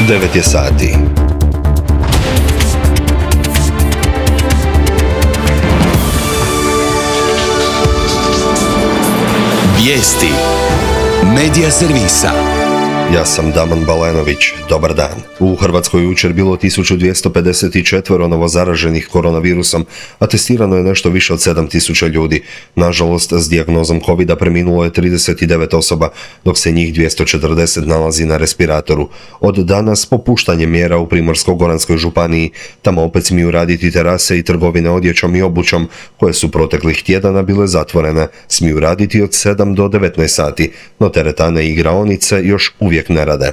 9 je sati. Vijesti Medija servisa. Ja sam Daman Balenović. Dobar dan. U Hrvatskoj jučer bilo 1254 novozaraženih koronavirusom, a testirano je nešto više od 7000 ljudi. Nažalost, s dijagnozom COVID-a preminulo je 39 osoba, dok se njih 240 nalazi na respiratoru. Od danas popuštanje mjera u Primorsko-goranskoj županiji. Tamo opet smiju raditi terase i trgovine odjećom i obućom, koje su proteklih tjedana bile zatvorene. Smiju raditi od 7 do 19 sati, no teretane i igraonice još uvijek ne rade.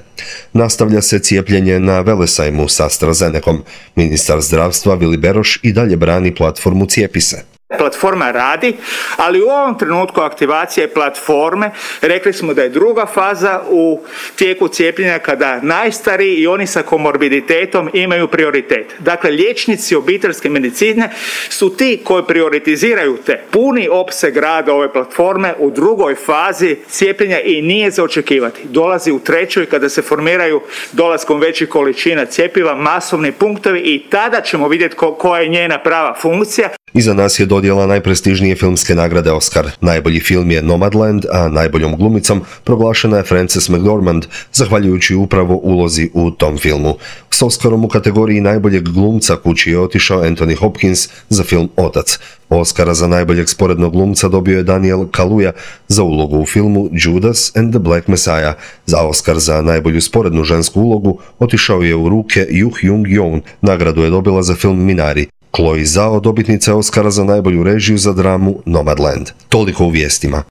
Nastavlja se cijepljenje na Velesajmu s AstraZenecom. Ministar zdravstva Vili Beroš i dalje brani platformu Cijepi se. Platforma radi, ali u ovom trenutku aktivacije platforme rekli smo da je druga faza u tijeku cijepljenja kada najstariji i oni sa komorbiditetom imaju prioritet. Dakle, liječnici obiteljske medicine su ti koji prioritiziraju te puni opseg rada ove platforme u drugoj fazi cijepljenja i nije za očekivati. Dolazi u trećoj kada se formiraju dolaskom većih količina cjepiva masovni punktovi i tada ćemo vidjeti koja je njena prava funkcija. Iza nas je dodjela najprestižnije filmske nagrade Oscar. Najbolji film je Nomadland, a najboljom glumicom proglašena je Frances McDormand, zahvaljujući upravo ulozi u tom filmu. S Oscarom u kategoriji najboljeg glumca kući je otišao Anthony Hopkins za film Otac. Oscara za najboljeg sporednog glumca dobio je Daniel Kaluuya za ulogu u filmu Judas and the Black Messiah. Za Oscar za najbolju sporednu žensku ulogu otišao je u ruke Yoo Hyung-Yoon. Nagradu je dobila za film Minari. Chloe Zhao dobitnica je Oscara za najbolju režiju za dramu Nomadland. Toliko u vijestima.